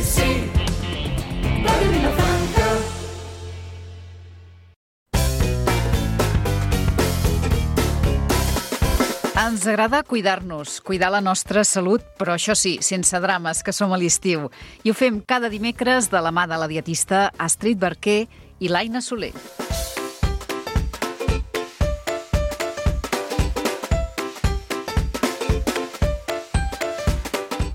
sí, Ràdio Vilafranca. Ens agrada cuidar-nos, cuidar la nostra salut, però això sí, sense drames, que som a l'estiu. I ho fem cada dimecres de la mà de la dietista Astrid Barquer i l'Aina Soler.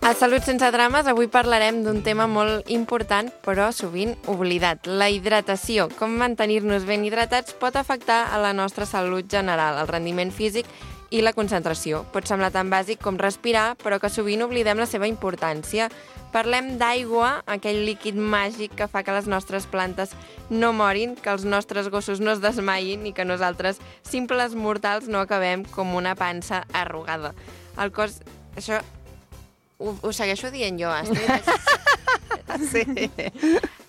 A Salut sense drames avui parlarem d'un tema molt important però sovint oblidat, la hidratació. Com mantenir-nos ben hidratats pot afectar a la nostra salut general, el rendiment físic i la concentració. Pot semblar tan bàsic com respirar, però que sovint oblidem la seva importància. Parlem d'aigua, aquell líquid màgic que fa que les nostres plantes no morin, que els nostres gossos no es desmaiin i que nosaltres, simples mortals, no acabem com una pansa arrugada. El cos... Això... Ho segueixo dient jo, Astrid. Sí.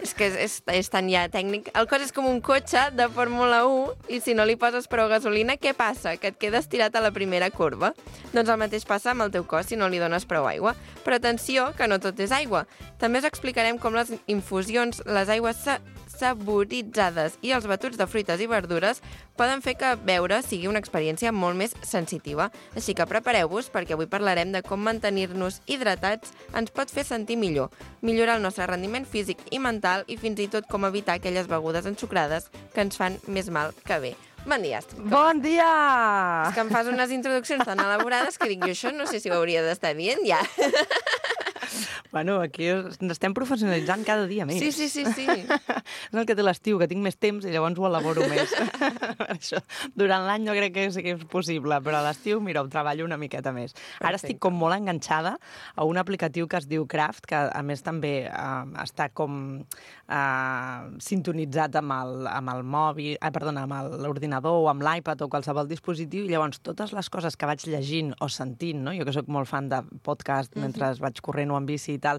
És que és tan ja tècnic. El cos és com un cotxe de Fórmula 1 i si no li poses prou gasolina, què passa? Que et quedes tirat a la primera curva. Doncs el mateix passa amb el teu cos si no li dones prou aigua. Però atenció, que no tot és aigua. També us explicarem com les infusions, les aigües saboritzades i els batuts de fruites i verdures poden fer que beure sigui una experiència molt més sensitiva. Així que prepareu-vos perquè avui parlarem de com mantenir-nos hidratats ens pot fer sentir millor, millorar el nostre rendiment físic i mental i fins i tot com evitar aquelles begudes ensucrades que ens fan més mal que bé. Bon dia, Astrid. Bon dia! És que em fas unes introduccions tan elaborades que dic jo això no sé si ho hauria d'estar dient ja. Bueno, aquí ens estem professionalitzant cada dia més. Sí. És el que té l'estiu, que tinc més temps i llavors ho elaboro més. Això, durant l'any no crec que sigui possible, però a l'estiu, mira, ho treballo una miqueta més. Perfecte. Ara estic com molt enganxada a un aplicatiu que es diu Craft, que a més també està com sintonitzat amb el mòbil, amb l'ordinador o amb l'iPad o qualsevol dispositiu, i llavors totes les coses que vaig llegint o sentint, no? Jo que sóc molt fan de podcast mentre vaig corrent o en bici i tal,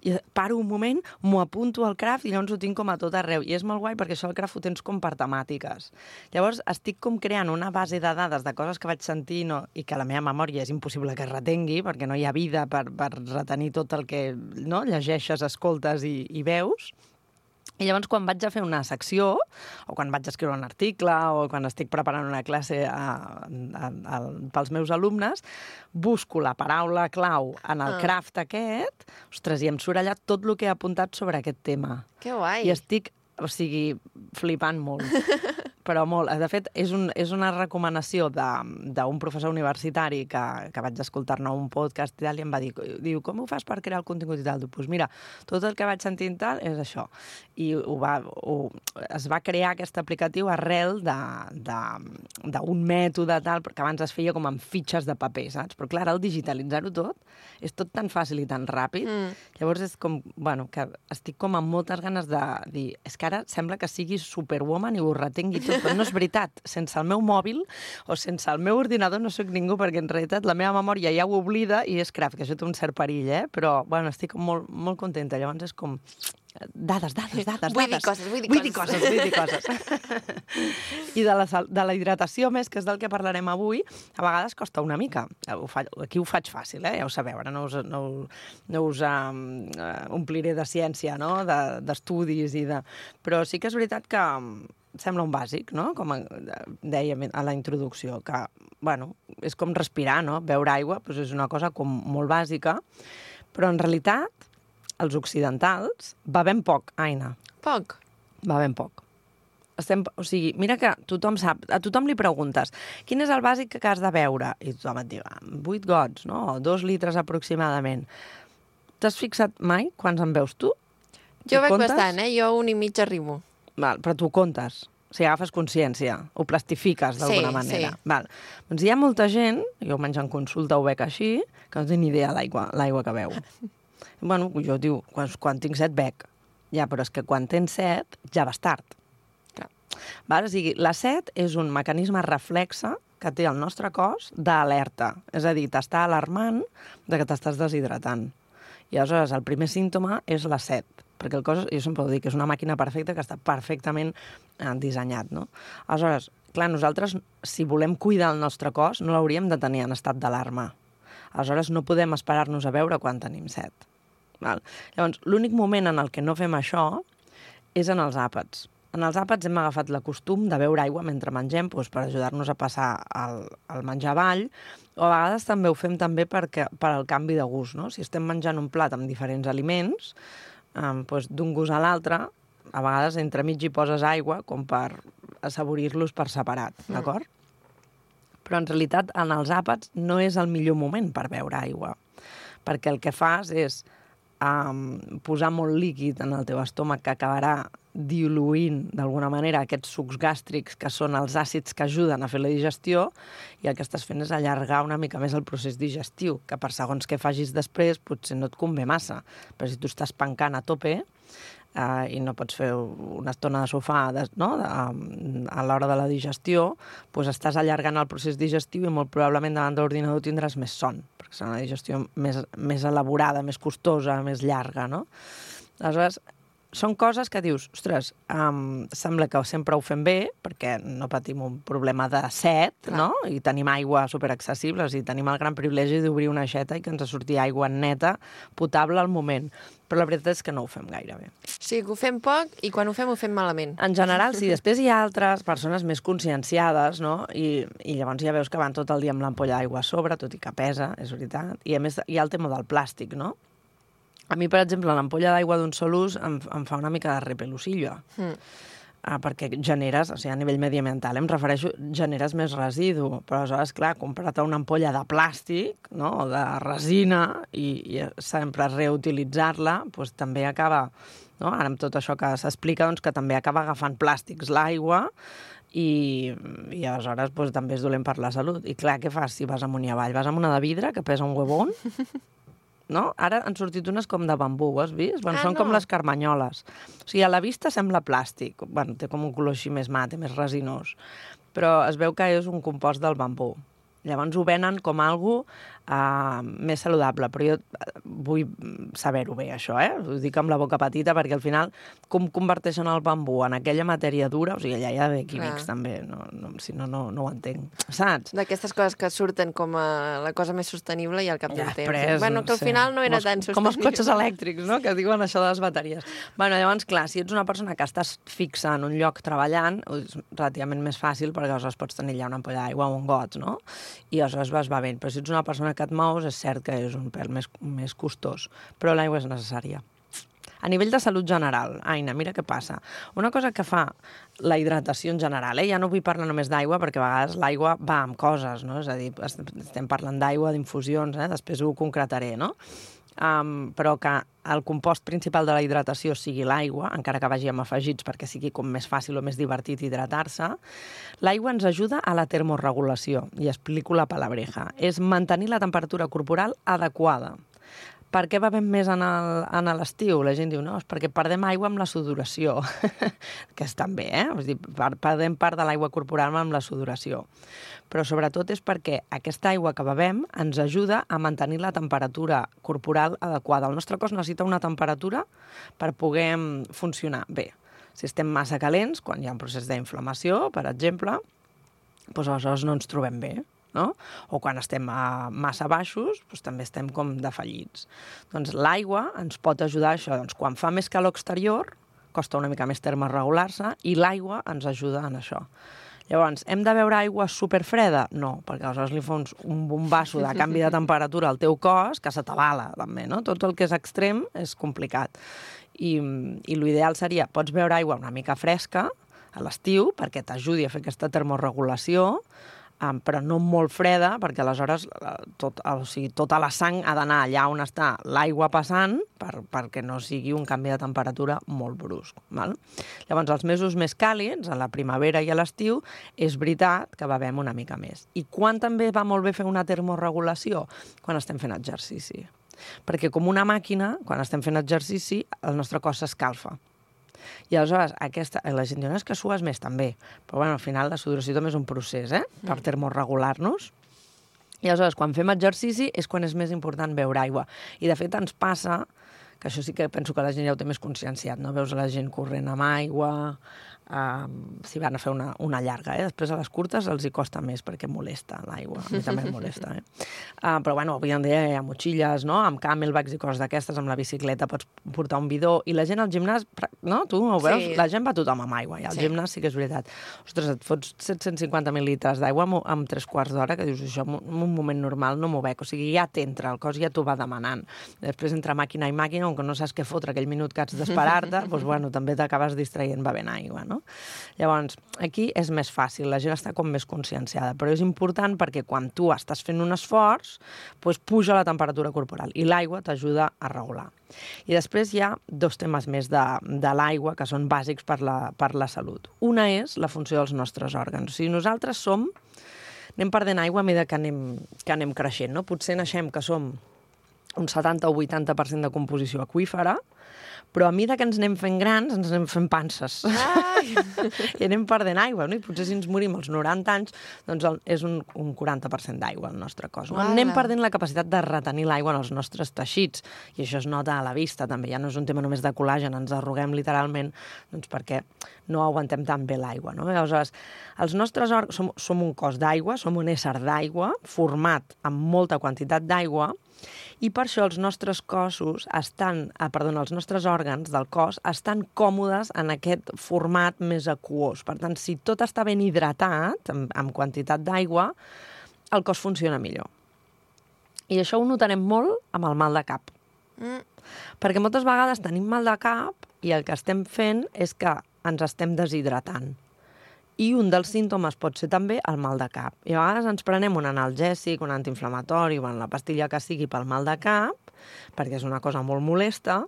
i paro un moment, m'ho apunto al Craft i llavors ho tinc com a tot arreu. I és molt guai perquè això al Craft ho tens com per temàtiques. Llavors estic com creant una base de dades de coses que vaig sentir i que la meva memòria és impossible que retengui perquè no hi ha vida per retenir tot el que llegeixes, escoltes i veus. I llavors, quan vaig a fer una secció, o quan vaig a escriure un article, o quan estic preparant una classe pels meus alumnes, busco la paraula clau en el Craft aquest, ostres, i em surt allà tot el que he apuntat sobre aquest tema. Que guai! I estic, flipant molt. Però molt. De fet, és una recomanació d'un professor universitari que vaig escoltar-ne un podcast i tal, i em va dir, com ho fas per crear el contingut i tal? Doncs mira, tot el que vaig sentint tal és això. I es va crear aquest aplicatiu arrel d'un mètode tal, que abans es feia com amb fitxes de paper, saps? Però clar, al digitalitzar-ho tot, és tot tan fàcil i tan ràpid. Llavors és com, que estic com amb moltes ganes de dir, és que ara sembla que sigui superwoman i ho retengui tot, però no és veritat. Sense el meu mòbil o sense el meu ordinador no sóc ningú, perquè en realitat la meva memòria ja ho oblida i és Craft, que això té un cert perill, però estic molt, molt contenta. Llavors és com dades. Vull dir coses. I de la hidratació més, que és del que parlarem avui, a vegades costa una mica. Aquí ho faig fàcil, ja ho sabeu, ara no us ompliré de ciència, d'estudis, però sí que és veritat que sembla un bàsic, no? Com dèiem a la introducció, que, és com respirar, no? Beure aigua és una cosa com molt bàsica, però en realitat els occidentals bevem poc, Aina. Poc? Bevem poc. Mira que tothom sap, a tothom li preguntes quin és el bàsic que has de beure? I tothom et diu 8 gots, no? 2 litres aproximadament. T'has fixat mai quants en beus tu? Jo bec bastant, jo 1,5 arribo. Val, però tu comptes, agafes consciència, ho plastifiques d'alguna manera. Sí. Val. Doncs hi ha molta gent, jo menys en consulta ho bec així, que no té ni idea l'aigua que beu. Jo diu, quan tinc set bec. Ja, però és que quan tens set ja vas tard. Clar. Val? O sigui, la set és un mecanisme reflexe que té el nostre cos d'alerta. És a dir, t'està alarmant de que t'estàs deshidratant. I aleshores el primer símptoma és la set, perquè el cos, jo sempre ho dic, és una màquina perfecta que està perfectament dissenyat, no? Aleshores, clar, nosaltres, si volem cuidar el nostre cos, no l'hauríem de tenir en estat d'alarma. Aleshores, no podem esperar-nos a veure quan tenim set. Val? Llavors, l'únic moment en el que no fem això és en els àpats. En els àpats hem agafat la costum de beure aigua mentre mengem per ajudar-nos a passar el menjar avall, o a vegades també ho fem també per al canvi de gust. No? Si estem menjant un plat amb diferents aliments, d'un gust a l'altre, a vegades entremig hi poses aigua com per assaborir-los per separat, d'acord? Però en realitat en els àpats no és el millor moment per beure aigua, perquè el que fas és posar molt líquid en el teu estómac que acabarà diluint d'alguna manera aquests sucs gàstrics que són els àcids que ajuden a fer la digestió, i el que estàs fent és allargar una mica més el procés digestiu, que per segons què facis després potser no et convé massa. Però si tu estàs pencant a tope i no pots fer una estona de sofà a l'hora de la digestió, doncs estàs allargant el procés digestiu i molt probablement davant de l'ordinador tindràs més son, perquè serà una digestió més elaborada, més costosa, més llarga, no? Aleshores, són coses que dius, ostres, sembla que sempre ho fem bé, perquè no patim un problema de set, no? I tenim aigua superaccessible, i tenim el gran privilegi d'obrir una aixeta i que ens surti aigua neta, potable al moment. Però la veritat és que no ho fem gaire bé. Sí, que ho fem poc i quan ho fem malament. En general, sí. Després hi ha altres persones més conscienciades, no? I llavors ja veus que van tot el dia amb l'ampolla d'aigua a sobre, tot i que pesa, és veritat. I a més hi ha el tema del plàstic, no? A mi, per exemple, l'ampolla d'aigua d'un sol ús em fa una mica de repelusillo. Perquè generes, o sigui, a nivell mediambiental, em refereixo, generes més residu. Però aleshores, clar, comprar-te una ampolla de plàstic, no?, o de resina, i sempre reutilitzar-la, doncs també acaba, no?, ara amb tot això que s'explica, doncs que també acaba agafant plàstics l'aigua, i aleshores doncs, també és dolent per la salut. I clar, què fas si vas amunt i avall? Vas amb una de vidre, que pesa un huevón, no? Ara han sortit unes com de bambú, ho has vist? Bueno, són com les carmanyoles. O sigui, a la vista sembla plàstic. Bueno, té com un color així més mate, més resinós. Però es veu que és un compost del bambú. Llavors ho venen com algo més saludable, però jo vull saber-ho bé, això, Ho dic amb la boca petita, perquè al final, com converteixen el bambú en aquella matèria dura, o sigui, allà hi ha químics també, si no, no ho entenc, saps? D'aquestes coses que surten com a la cosa més sostenible i al cap d'un temps. Bueno, que al final no era tan sostenible. Com els cotxes elèctrics, no?, que diuen això de les bateries. Bueno, llavors, clar, si ets una persona que estàs fixa en un lloc treballant, és relativament més fàcil, perquè aleshores pots tenir allà una ampolla d'aigua o un got, no? I aleshores vas bevent. Però si ets una persona que et mous, és cert que és un pèl més costós, però l'aigua és necessària. A nivell de salut general, Aina, mira què passa. Una cosa que fa la hidratació en general, ja no vull parlar només d'aigua, perquè a vegades l'aigua va amb coses, no? És a dir, estem parlant d'aigua, d'infusions, després ho concretaré, no? Però que el compost principal de la hidratació sigui l'aigua, encara que vagi amb afegits perquè sigui com més fàcil o més divertit hidratar-se, l'aigua ens ajuda a la termorregulació, i explico la palabreja. És mantenir la temperatura corporal adequada. Per què bevem més en l'estiu? La gent diu, no, és perquè perdem aigua amb la sudoració, que estan bé, Vull dir, perdem part de l'aigua corporal amb la sudoració. Però sobretot és perquè aquesta aigua que bevem ens ajuda a mantenir la temperatura corporal adequada. El nostre cos necessita una temperatura per poder funcionar bé. Si estem massa calents, quan hi ha un procés d'inflamació, per exemple, doncs aleshores no ens trobem bé. No? O quan estem massa baixos, doncs també estem com defallits. Doncs l'aigua ens pot ajudar a això. Doncs quan fa més calor exterior, costa una mica més termorregular-se, i l'aigua ens ajuda en això. Llavors, hem de beure aigua superfreda? No, perquè aleshores li fons un bombasso de canvi de temperatura al teu cos que se t'avala, també, no? Tot el que és extrem és complicat. I l'ideal seria, pots beure aigua una mica fresca a l'estiu perquè t'ajudi a fer aquesta termorregulació, però no molt freda, perquè aleshores tota la sang ha d'anar allà on està l'aigua passant perquè no sigui un canvi de temperatura molt brusc. Val? Llavors, els mesos més càlids, a la primavera i a l'estiu, és veritat que bevem una mica més. I quan també va molt bé fer una termorregulació? Quan estem fent exercici. Perquè com una màquina, quan estem fent exercici, el nostre cos s'escalfa. I aleshores, la gent diu, no, és que sues més també, però bueno, al final la sudoració també és un procés, per termorregular-nos. I aleshores, quan fem exercici és quan és més important beure aigua. I de fet ens passa que això sí que penso que la gent ja ho té més conscienciat, no? Veus la gent corrent amb aigua, si van a fer una llarga, després a les curtes els hi costa més perquè molesta l'aigua, a mi també em molesta, però bueno, avui en dia hi ha motxilles, no? Amb camelbacks i coses d'aquestes, amb la bicicleta pots portar un bidó, i la gent al gimnàs, no? Tu ho veus? Sí. La gent va tothom amb aigua, i al gimnàs sí que és veritat. Ostres, et fots 750 mil·litres d'aigua amb 3/4 d'hora, que dius, això en un moment normal no m'ho veig, o sigui, ja t'entra, el cos ja t'ho va demanant. Després, entre màquina i màquina, on no saps què fotre aquell minut que has d'esperar-te, doncs, bueno, també t'acabes distraient bevent aigua, no? Llavors, aquí és més fàcil, la gent està com més conscienciada, però és important perquè quan tu estàs fent un esforç, doncs puja la temperatura corporal i l'aigua t'ajuda a regular. I després hi ha 2 temes més de l'aigua que són bàsics per la salut. Una és la funció dels nostres òrgans. O sigui, nosaltres anem perdent aigua a mesura que anem creixent, no? Potser naixem que som un 70 o 80% de composició aquífera, però a mesura que ens anem fent grans, ens anem fent panses. I anem perdent aigua, no? I potser si ens morim als 90 anys, doncs és un 40% d'aigua al nostre cos. No? Anem perdent la capacitat de retenir l'aigua en els nostres teixits, i això es nota a la vista, també. Ja no és un tema només de col·làgen, ens arruguem literalment, doncs perquè no aguantem tan bé l'aigua, no? Llavors, els nostres òrgans som un cos d'aigua, som un ésser d'aigua, format amb molta quantitat d'aigua, i per això els nostres els nostres òrgans del cos estan còmodes en aquest format més aquós. Per tant, si tot està ben hidratat, amb quantitat d'aigua, el cos funciona millor. I això ho notarem molt amb el mal de cap. Perquè moltes vegades tenim mal de cap i el que estem fent és que ens estem deshidratant. I un dels símptomes pot ser també el mal de cap. I a vegades ens prenem un analgèsic, un antiinflamatori, la pastilla que sigui pel mal de cap, perquè és una cosa molt molesta,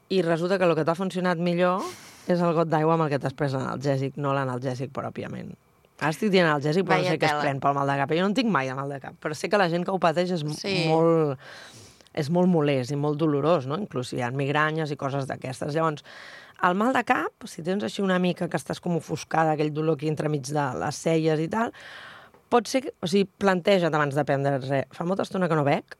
i resulta que el que t'ha funcionat millor és el got d'aigua amb el que t'has pres l'analgèsic, no l'analgèsic pròpiament. Ara estic dient analgèsic, però no sé què es pren pel mal de cap. Jo no en tinc mai de mal de cap, però sé que la gent que ho pateix és molt molest i molt dolorós, no? Inclús hi ha migranyes i coses d'aquestes. Llavors, el mal de cap, si tens així una mica que estàs com ofuscada, aquell dolor aquí entremig de les celles i tal, pot ser, o sigui, planteja't abans de prendre res. Fa molta estona que no bec,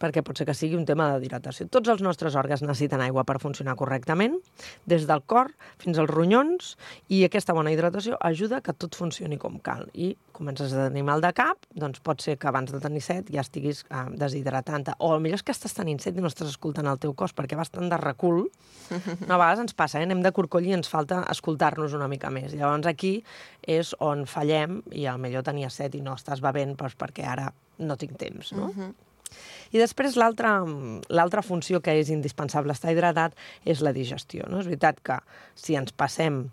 perquè pot ser que sigui un tema de hidratació. Tots els nostres òrgans necessiten aigua per funcionar correctament, des del cor fins als ronyons, i aquesta bona hidratació ajuda que tot funcioni com cal. I comences a tenir mal de cap, doncs pot ser que abans de tenir set ja estiguis deshidratant-te. O potser és que estàs tenint set i no estàs escoltant el teu cos, perquè vas tan de recul. A vegades ens passa, anem de corcoll i ens falta escoltar-nos una mica més. Llavors aquí és on fallem, i potser tenia set i no estàs bevent perquè ara no tinc temps, no? I després l'altra funció que és indispensable estar hidratat és la digestió, no? És veritat que si ens passem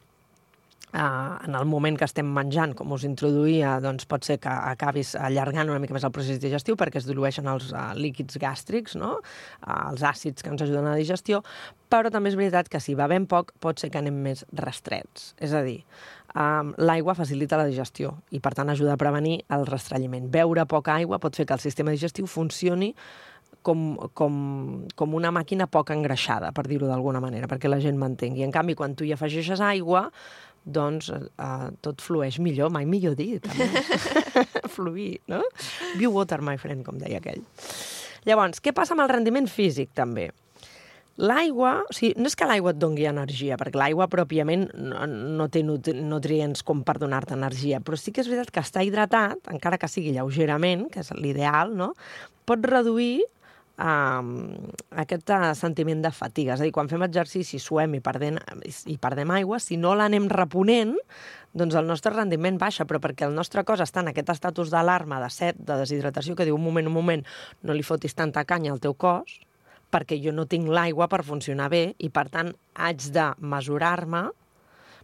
en el moment que estem menjant, com us introduïa, doncs pot ser que acabis allargant una mica més el procés digestiu perquè es dilueixen els líquids gàstrics, no? Els àcids que ens ajuden a la digestió, però també és veritat que si bevem poc pot ser que anem més restrets. És a dir, l'aigua facilita la digestió i per tant ajuda a prevenir el restranyiment. Beure poca aigua pot fer que el sistema digestiu funcioni com una màquina poc engreixada, per dir-ho d'alguna manera, perquè la gent m'entengui. En canvi, quan tu hi afegeixes aigua, doncs tot flueix millor, mai millor dit. Fluir, no? Be water, my friend, com deia aquell. Llavors, què passa amb el rendiment físic, també? L'aigua, o sigui, no és que l'aigua et doni energia, perquè l'aigua pròpiament no té nutrients com per donar-te energia, però sí que és veritat que estar hidratat, encara que sigui lleugerament, que és l'ideal, no? Pot reduir aquest sentiment de fatiga. És a dir, quan fem exercici, suem i perdem aigua, si no l'anem reponent, doncs el nostre rendiment baixa, però perquè el nostre cos està en aquest estatus d'alarma, de set, de deshidratació, que diu un moment, no li fotis tanta canya al teu cos, perquè jo no tinc l'aigua per funcionar bé i, per tant, haig de mesurar-me,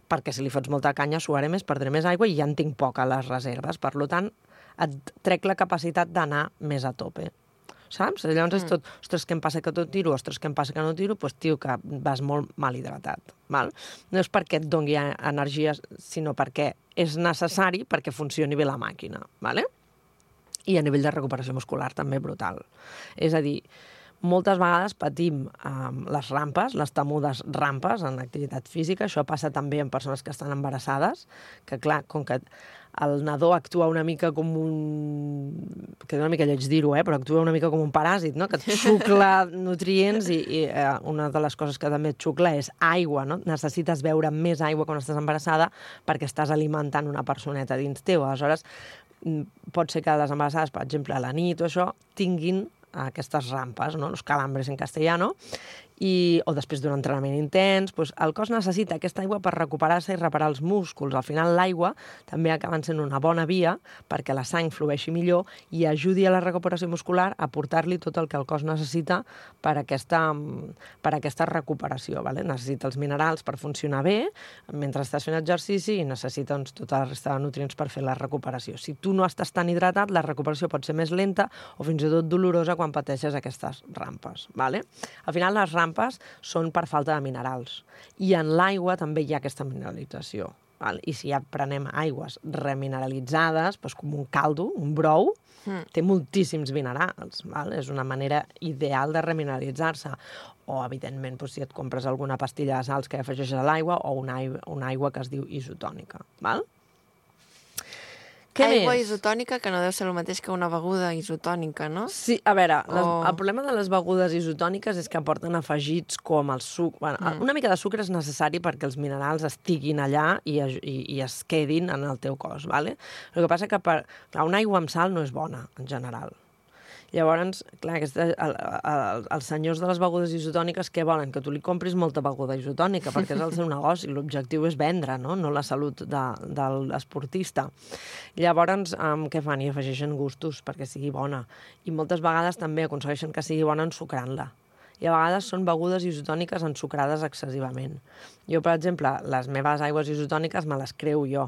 perquè si li fots molta canya suaré més, perdré més aigua i ja en tinc poca a les reserves. Per tant, et trec la capacitat d'anar més a tope. Saps? Llavors és tot, ostres, què em passa que tot tiro, ostres, què em passa que no tiro, doncs, tio, que vas molt mal hidratat. Val? No és perquè et doni energia, sinó perquè és necessari perquè funcioni bé la màquina. Vale? I a nivell de recuperació muscular també brutal. És a dir, moltes vegades patim les rampes, les temudes rampes en activitat física. Això passa també en persones que estan embarassades, que clar, com que el nadó actua una mica com queda una mica lleig dir-ho, però actua una mica com un paràsit, no? Que et xucla nutrients i una de les coses que també et xucla és aigua, no? Necessites beure més aigua quan estàs embarassada perquè estàs alimentant una personeta dins teu. Aleshores, pot ser que les embarassades, per exemple, a la nit o això, tinguin aquestes rampes, no? Los calambres en castellano, o després d'un entrenament intens, doncs el cos necessita aquesta aigua per recuperar-se i reparar els músculs. Al final l'aigua també acaba sent una bona via perquè la sang flueixi millor i ajudi a la recuperació muscular a portar-li tot el que el cos necessita per aquesta recuperació. Vale? Necessita els minerals per funcionar bé mentre estàs fent exercici i necessita tota la resta de nutrients per fer la recuperació. Si tu no estàs tan hidratat, la recuperació pot ser més lenta o fins i tot dolorosa quan pateixes aquestes rampes. Vale? Al final les rampes són per falta de minerals. I en l'aigua també hi ha aquesta mineralització. Val? I si ja prenem aigües remineralitzades, doncs com un caldo, un brou, té moltíssims minerals. Val? És una manera ideal de remineralitzar-se. O, evidentment, doncs, si et compres alguna pastilla de sals que afegeixes a l'aigua o una aigua que es diu isotònica. Val? Aigua isotònica, que no deu ser el mateix que una beguda isotònica, no? Sí, a veure, el problema de les begudes isotòniques és que aporten afegits com el sucre. Bueno, una mica de sucre és necessari perquè els minerals estiguin allà i es quedin en el teu cos, ¿vale? El que passa que una aigua amb sal no és bona, en general. Llavors, clar, els senyors de les begudes isotòniques què volen? Que tu li compris molta beguda isotònica, perquè és el seu negoci. L'objectiu és vendre, no la salut de l'esportista. Llavors, què fan? I afegeixen gustos perquè sigui bona. I moltes vegades també aconsegueixen que sigui bona ensucrant-la. I a vegades són begudes isotòniques ensucrades excessivament. Jo, per exemple, les meves aigües isotòniques me les creu jo.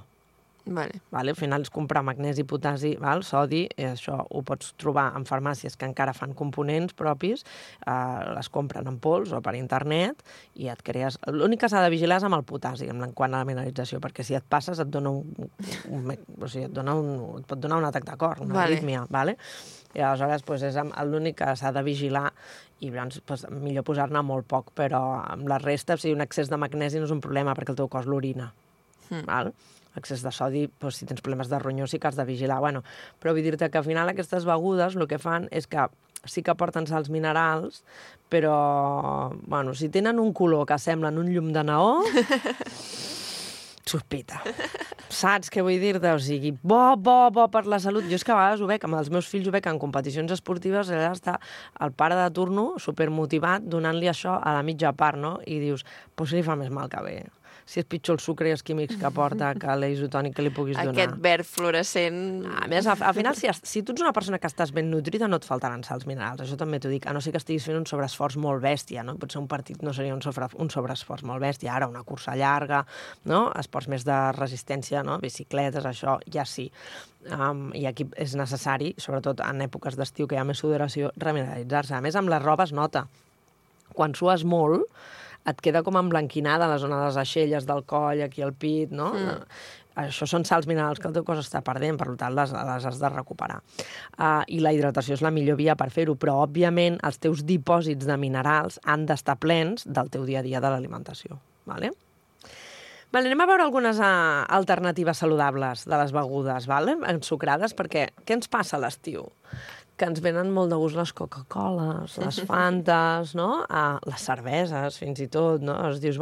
Vale. Al final és comprar magnesi, potassi, sodi, això ho pots trobar en farmàcies que encara fan components propis, les compren en pols o per internet i et crees... L'únic que s'ha de vigilar és amb el potassi, en quant a la mineralització, perquè si et passes et dona et pot donar un atac de cor, una arrítmia, vale? I aleshores és l'únic que s'ha de vigilar i llavors millor posar-ne molt poc, però amb la resta, si un excés de magnesi no és un problema perquè el teu cos l'orina, val? Excés de sodi, si tens problemes de ronyó sí que has de vigilar. Però vull dir-te que al final aquestes begudes el que fan és que sí que aporten sals minerals, però si tenen un color que semblen un llum de neó, sospita. Saps què vull dir-te? O sigui, bo per la salut. Jo és que a vegades ho veig, amb els meus fills ho veig en competicions esportives, allà està el pare de turno supermotivat donant-li això a la mitja part, no? I dius, doncs li fa més mal que bé. Si és pitjor el sucre i els químics que aporta que l'isotònic que li puguis donar. Aquest verd fluorescent... A més, al final, si tu ets una persona que estàs ben nutrida, no et faltaran sals minerals. Això també t'ho dic. A no ser que estiguis fent un sobreesforç molt bèstia, no? Potser un partit no seria un sobreesforç molt bèstia. Ara, una cursa llarga, no? Esports més de resistència, no? Bicicletes, això, ja sí. I aquí és necessari, sobretot en èpoques d'estiu que hi ha més sudoració, remineralitzar-se. A més, amb la roba es nota. Quan sues molt, et queda com emblanquinada la zona de les aixelles del coll, aquí al pit, no? Això són sals minerals que el teu cos està perdent, per tant les has de recuperar. I la hidratació és la millor via per fer-ho, però, òbviament, els teus dipòsits de minerals han d'estar plens del teu dia a dia de l'alimentació. Vale? Anem a veure algunes alternatives saludables de les begudes, ensucrades, perquè què ens passa a l'estiu? Que ens venen molt de gust les Coca-Coles, les Fantes, no? Les cerveses, fins i tot, no? Dius,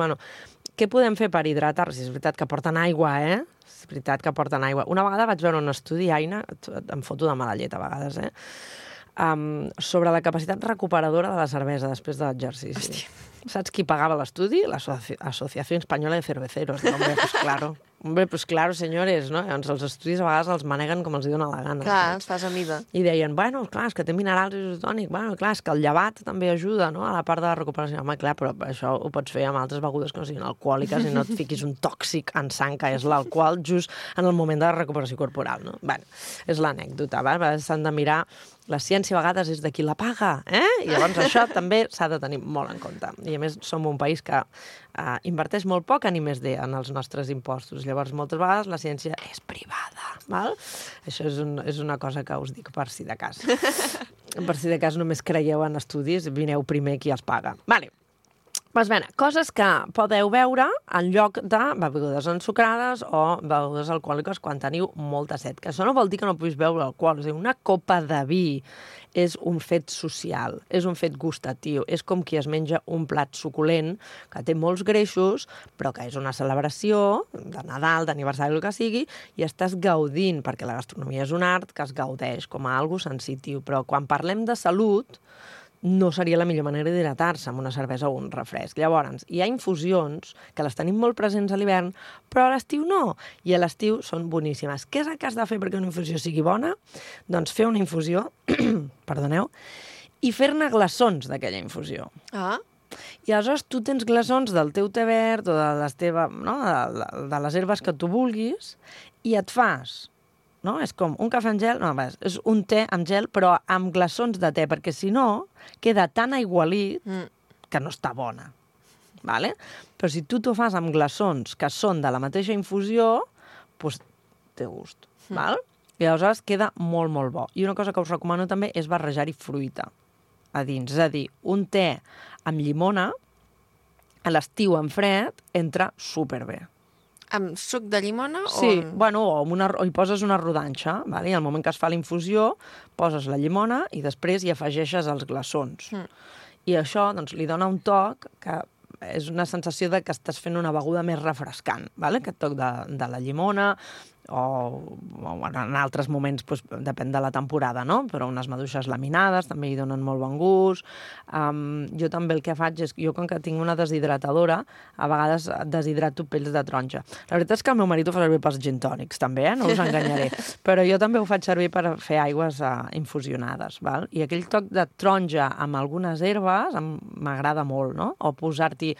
què podem fer per hidratar-nos? És veritat que porten aigua, És veritat que porten aigua. Una vegada vaig veure un estudi, Aina, em foto de mala llet a vegades, sobre la capacitat recuperadora de la cervesa després de l'exercici. Hòstia. Saps qui pagava l'estudi? L'Associació Espanyola de Cerveceros. Hombre, pues claro, senyores, no? Llavors els estudis a vegades els maneguen com els dona la gana. Clar, els fas a mida. I deien, clar, és que té minerals isotònics, clar, és que el llevat també ajuda, no?, a la part de la recuperació. Home, clar, però això ho pots fer amb altres begudes que no siguin alcohòliques i no et fiquis un tòxic en sang, que és l'alcohol, just en el moment de la recuperació corporal, no? És l'anècdota, s'han de mirar. La ciència a vegades és de qui la paga, I llavors això també s'ha de tenir molt en compte. I a més som un país que inverteix molt poc en I+D, en els nostres impostos. Llavors moltes vegades la ciència és privada, val? Això és una cosa que us dic per si de cas. Per si de cas només creieu en estudis, vineu primer qui els paga. Vale. Pues bé, coses que podeu veure en lloc de begudes ensucrades o begudes alcohòliques quan teniu molta set. Que això no vol dir que no puguis beure alcohol. És a dir, una copa de vi és un fet social, és un fet gustatiu, és com qui es menja un plat suculent que té molts greixos, però que és una celebració de Nadal, d'aniversari, el que sigui, i estàs gaudint, perquè la gastronomia és un art que es gaudeix com a algo sensitiu. Però quan parlem de salut, no seria la millor manera d'hidratar-se amb una cervesa o un refresc. Llavors, hi ha infusions que les tenim molt presents a l'hivern, però a l'estiu no. I a l'estiu són boníssimes. Què és el que has de fer perquè una infusió sigui bona? Doncs fer una infusió, perdoneu, i fer-ne glaçons d'aquella infusió. Ah, I aleshores tu tens glaçons del teu te verd o de de les herbes que tu vulguis i et fas... No? És com un cafè amb gel, no, és un te amb gel, però amb glaçons de te, perquè si no, queda tan aigualit que no està bona. Vale? Però si tu t'ho fas amb glaçons que són de la mateixa infusió, doncs té gust. Val? I aleshores queda molt, molt bo. I una cosa que us recomano també és barrejar-hi fruita a dins. És a dir, un te amb llimona, a l'estiu en fred, entra superbé. amb suc de llimona? Sí, o... bueno, o hi poses una rodanxa, vale? I al moment que es fa la infusió, poses la llimona i després hi afegeixes els glaçons. I això doncs, li dona un toc que és una sensació de que estàs fent una beguda més refrescant, vale? Aquest toc de la llimona, o en altres moments doncs, depèn de la temporada, no? Però unes maduixes laminades també hi donen molt bon gust. Jo també el que faig és, jo com que tinc una deshidratadora, a vegades deshidrato pells de taronja. La veritat és que el meu marit ho fa servir pels gin tònics, també, no us enganyaré. Però jo també ho faig servir per fer aigües infusionades, val? I aquell toc de taronja amb algunes herbes m'agrada molt, no? O posar-t'hi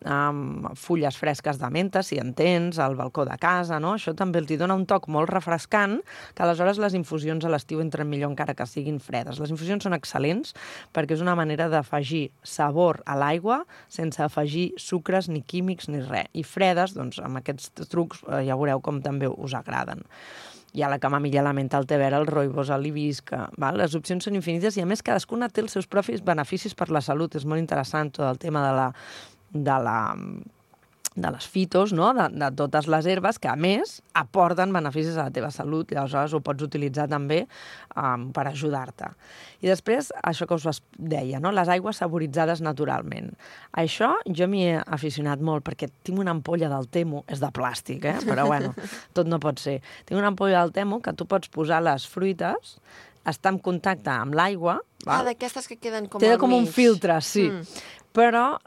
fulles fresques de menta, si en tens, al balcó de casa, no? Això també els dona un toc molt refrescant, que aleshores les infusions a l'estiu entren millor encara que siguin fredes. Les infusions són excel·lents perquè és una manera d'afegir sabor a l'aigua sense afegir sucres, ni químics, ni res. I fredes, doncs, amb aquests trucs ja veureu com també us agraden. Hi ha la camamilla, la menta, el te verd, el rooibos, l'hibisca, val? Les opcions són infinites i, a més, cadascuna té els seus propis beneficis per la salut. És molt interessant tot el tema de les fitos, no? De totes les herbes, que a més aporten beneficis a la teva salut, i aleshores ho pots utilitzar també per ajudar-te. I després, això que us deia, no? Les aigües saboritzades naturalment. Això jo m'hi he aficionat molt, perquè tinc una ampolla del Temu, és de plàstic, però bueno, tot no pot ser. Tinc una ampolla del Temu que tu pots posar les fruites, està en contacte amb l'aigua. D'aquestes que queden com al mig. Té com un filtre, sí. Però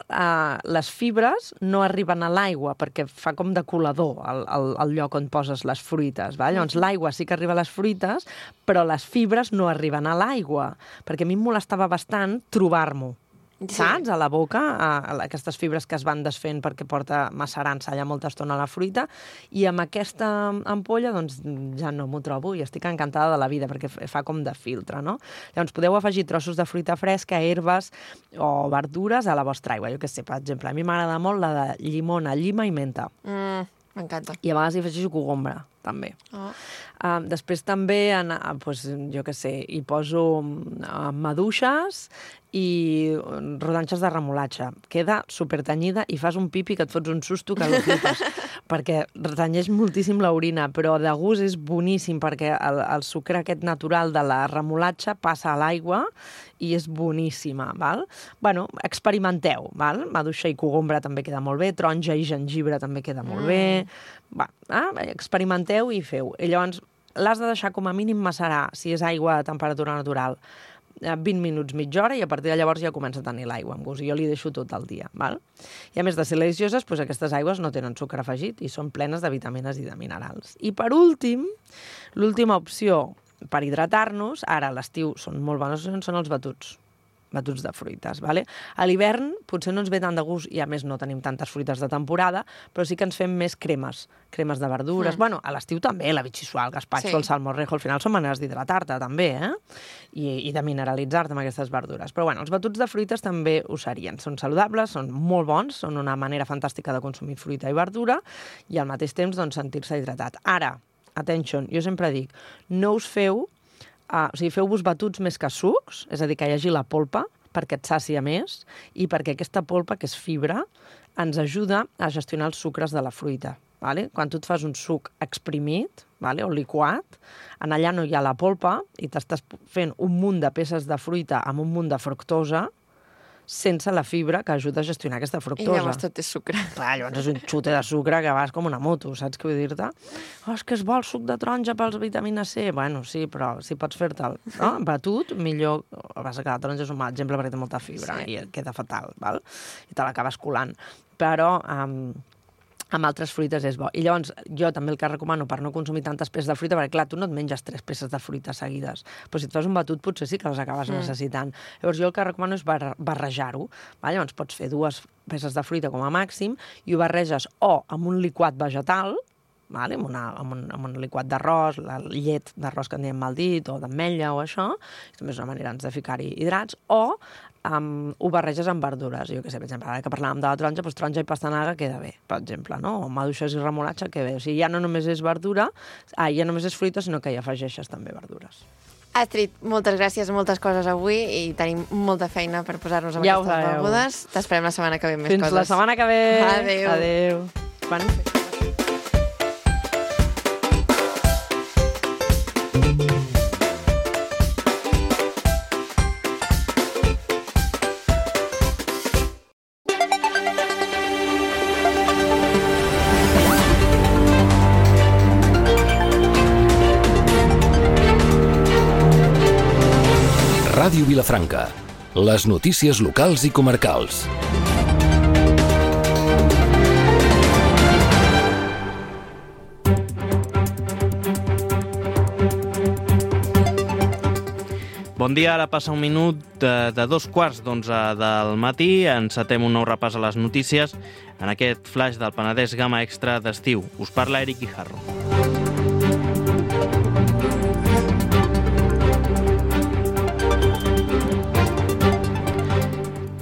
les fibres no arriben a l'aigua perquè fa com de colador el lloc on poses les fruites. Va? Llavors l'aigua sí que arriba a les fruites, però les fibres no arriben a l'aigua, perquè a mi em molestava bastant trobar-m'ho. Sí. Saps? A la boca, aquestes fibres que es van desfent perquè porta macerant-se allà molta estona la fruita, i amb aquesta ampolla doncs ja no m'ho trobo i estic encantada de la vida perquè fa com de filtre, no? Llavors podeu afegir trossos de fruita fresca, herbes o verdures a la vostra aigua. Jo què sé, per exemple, a mi m'agrada molt la de llimona, llima i menta. M'encanta. I a vegades hi afegeixo cogombra, també. Després també, jo què sé, hi poso maduixes i rodanxes de remolatge. Queda supertenyida i fas un pipi que et fots un susto que el flipes, perquè retenyeix moltíssim l'orina, però de gust és boníssim perquè el sucre aquest natural de la remolatge passa a l'aigua i és boníssima, val? Bueno, experimenteu, val? Maduixa i cogombra també queda molt bé, taronja i gengibre també queda molt bé. Experimenteu i feu. I llavors l'has de deixar com a mínim macerar, si és aigua a temperatura natural, 20 minuts, mitja hora, i a partir de llavors ja comença a tenir l'aigua amb gust. I jo li deixo tot el dia, val? I a més de ser delicioses, doncs aquestes aigües no tenen sucre afegit i són plenes de vitamines i de minerals. I per últim, l'última opció per hidratar-nos, ara a l'estiu són molt bones, són els batuts de fruites, vale? A l'hivern potser no ens ve tant de gust i a més no tenim tantes fruites de temporada, però sí que ens fem més cremes de verdures. Bueno, a l'estiu també, la bitxissuà, el gazpacho, el salmorejo, al final són maneres d'hidratar-te també, i de mineralitzar-te amb aquestes verdures. Però bueno, els batuts de fruites també ho serien. Són saludables, són molt bons, són una manera fantàstica de consumir fruita i verdura i al mateix temps doncs, sentir-se hidratat. Ara, attention, jo sempre dic, no us feu feu-vos batuts més que sucs, és a dir, que hi hagi la polpa, perquè et sàcia més i perquè aquesta polpa, que és fibra, ens ajuda a gestionar els sucres de la fruita. Vale? Quan tu et fas un suc exprimit, vale? O liquat, en allà no hi ha la polpa i t'estàs fent un munt de peces de fruita amb un munt de fructosa sense la fibra que ajuda a gestionar aquesta fructosa. I llavors tot és sucre. Clar, llavors és un xute de sucre que vas com una moto, saps què vull dir-te? Oh, és que és bo el suc de taronja pels vitamina C. Bueno, sí, però si pots fer-te'l batut, millor... Passa que la taronja és un mal exemple perquè té molta fibra i queda fatal, val? I te l'acabes colant. Però amb altres fruites és bo. I llavors jo també el que recomano per no consumir tantes peces de fruita, perquè clar, tu no et menges 3 peces de fruita seguides, però si et fas un batut potser sí que les acabes necessitant. Llavors jo el que recomano és barrejar-ho. Llavors pots fer 2 peces de fruita com a màxim i ho barreges o amb un liquat vegetal, vale? amb un liquat d'arròs, la llet d'arròs que en diem mal dit, o d'ametlla o això, també és una manera de ficar-hi hidrats, o ho barreges amb verdures. Jo què sé, per exemple, ara que parlàvem de la taronja, doncs taronja i pastanaga queda bé, per exemple, no? O maduixes i remolatxa queda bé. O sigui, ja no només és verdura, ja només és fruita, sinó que hi afegeixes també verdures. Astrid, moltes gràcies, moltes coses avui i tenim molta feina per posar-nos amb aquestes begudes. T'esperem la setmana que ve més coses. Fins la setmana que ve. Adéu. Adéu. Ràdio Vilafranca. Les notícies locals i comarcals. Bon dia, ara passa un minut de 2:15 del matí. Encetem un nou repàs a les notícies en aquest flash del Penedès Gamma Extra d'estiu. Us parla Eric Guijarro.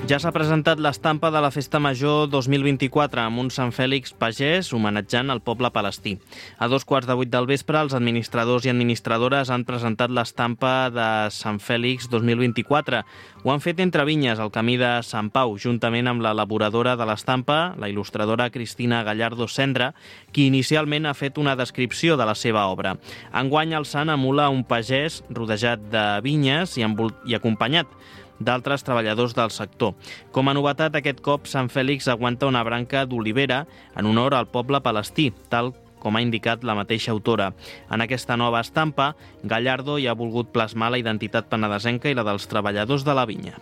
Ja s'ha presentat l'estampa de la Festa Major 2024 amb un Sant Fèlix pagès homenatjant el poble palestí. A 7:15 del vespre, els administradors i administradores han presentat l'estampa de Sant Fèlix 2024. Ho han fet entre vinyes, al camí de Sant Pau, juntament amb l'elaboradora de l'estampa, la il·lustradora Cristina Gallardo Cendra, qui inicialment ha fet una descripció de la seva obra. Enguany el sant emula un pagès rodejat de vinyes i acompanyat d'altres treballadors del sector. Com a novetat, aquest cop Sant Fèlix aguanta una branca d'olivera en honor al poble palestí, tal com ha indicat la mateixa autora. En aquesta nova estampa, Gallardo hi ha volgut plasmar la identitat penedesenca i la dels treballadors de la vinya.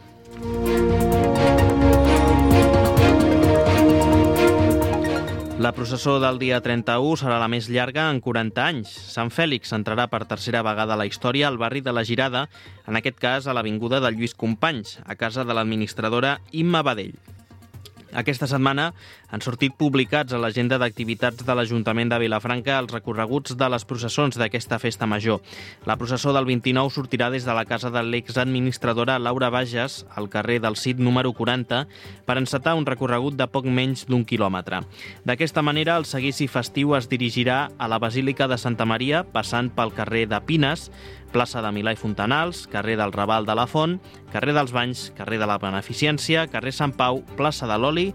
La processó del dia 31 serà la més llarga en 40 anys. Sant Fèlix entrarà per tercera vegada a la història al barri de la Girada, en aquest cas a l'avinguda de Lluís Companys, a casa de l'administradora Imma Badell. Aquesta setmana han sortit publicats a l'agenda d'activitats de l'Ajuntament de Vilafranca els recorreguts de les processons d'aquesta festa major. La processó del 29 sortirà des de la casa de l'exadministradora Laura Bages, al carrer del Cid número 40, per encetar un recorregut de poc menys d'1 quilòmetre. D'aquesta manera, el seguici festiu es dirigirà a la Basílica de Santa Maria, passant pel carrer de Pines, plaça de Milà i Fontanals, carrer del Raval de la Font, carrer dels Banys, carrer de la Beneficència, carrer Sant Pau, plaça de l'Oli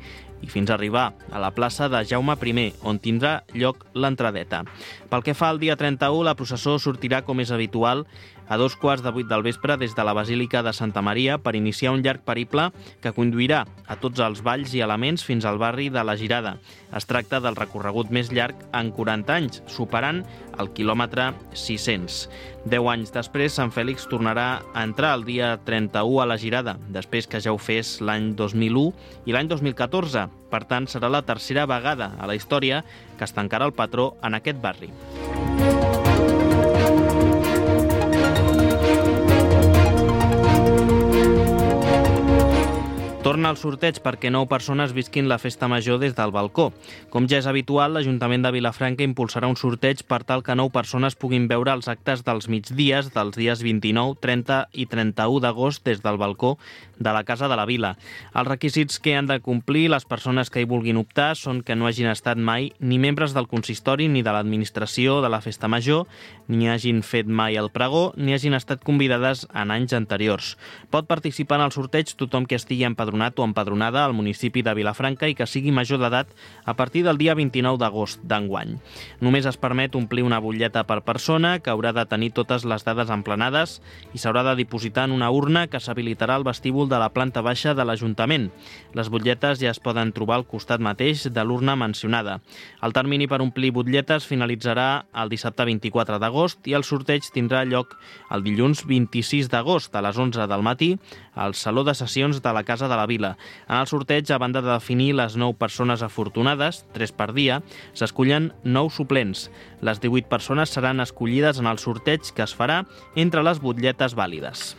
i fins a arribar a la plaça de Jaume I, on tindrà lloc l'entradeta. Pel que fa al dia 31, la processó sortirà, com és habitual, a 7:15 del vespre des de la Basílica de Santa Maria per iniciar un llarg periple que conduirà a tots els valls i elements fins al barri de la Girada. Es tracta del recorregut més llarg en 40 anys, superant el quilòmetre 600. 10 anys després, Sant Fèlix tornarà a entrar el dia 31 a la Girada, després que ja ho fes l'any 2001 i l'any 2014. Per tant, serà la tercera vegada a la història que es tancarà el patró en aquest barri. Torna al sorteig perquè 9 persones visquin la festa major des del balcó. Com ja és habitual, l'Ajuntament de Vilafranca impulsarà un sorteig per tal que 9 persones puguin veure els actes dels migdies dels dies 29, 30 i 31 d'agost des del balcó de la Casa de la Vila. Els requisits que han de complir les persones que hi vulguin optar són que no hagin estat mai ni membres del consistori ni de l'administració de la festa major, ni hagin fet mai el pregó, ni hagin estat convidades en anys anteriors. Pot participar en el sorteig tothom que estigui empadronat o empadronada al municipi de Vilafranca i que sigui major d'edat a partir del dia 29 d'agost d'enguany. Només es permet omplir una butlleta per persona, que haurà de tenir totes les dades emplenades i s'haurà de dipositar en una urna que s'habilitarà al vestíbul de la planta baixa de l'Ajuntament. Les butlletes ja es poden trobar al costat mateix de l'urna mencionada. El termini per omplir butlletes finalitzarà el dissabte 24 d'agost i el sorteig tindrà lloc el dilluns 26 d'agost a les 11 del matí al Saló de Sessions de la Casa de la Vila. En el sorteig, a banda de definir les 9 persones afortunades, 3 per dia, s'escullen 9 suplents. Les 18 persones seran escollides en el sorteig que es farà entre les butlletes vàlides.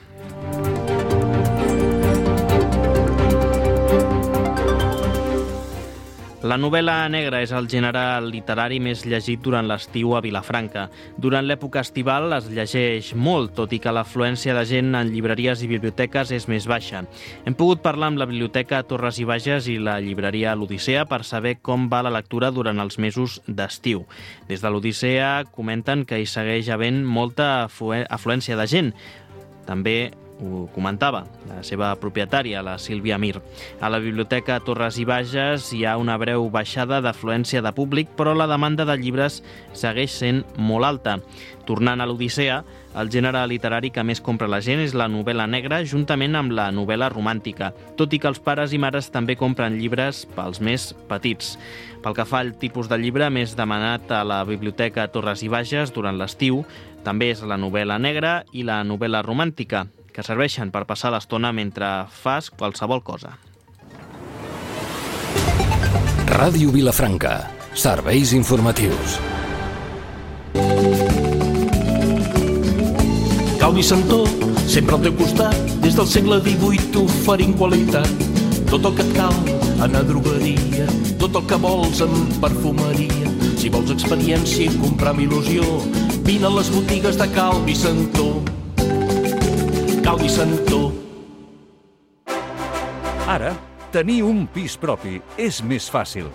La novel·la negra és el gènere literari més llegit durant l'estiu a Vilafranca. Durant l'època estival es llegeix molt, tot i que l'afluència de gent en llibreries i biblioteques és més baixa. Hem pogut parlar amb la Biblioteca Torres i Bages i la llibreria L'Odissea per saber com va la lectura durant els mesos d'estiu. Des de l'Odissea comenten que hi segueix havent molta afluència de gent. També ho comentava la seva propietària, la Sílvia Mir. A la Biblioteca Torres i Bages hi ha una breu baixada d'afluència de públic, però la demanda de llibres segueix sent molt alta. Tornant a l'Odissea, el gènere literari que més compra la gent és la novel·la negra, juntament amb la novel·la romàntica, tot i que els pares i mares també compren llibres pels més petits. Pel que fa al tipus de llibre més demanat a la Biblioteca Torres i Bages durant l'estiu, també és la novel·la negra i la novel·la romàntica, que serveixen per passar l'estona mentre fas qualsevol cosa. Ràdio Vilafranca. Serveis informatius. Gaudi Santó, sempre al teu costat, des del segle XVIII oferint qualitat. Tot el que et cal en a drogueria, tot el que vols en perfumeria. Si vols experiència i comprar amb il·lusió, vine a les botigues de Gaudi Santó. Gaudi Santó. Ara, tenir un pis propi és més fàcil.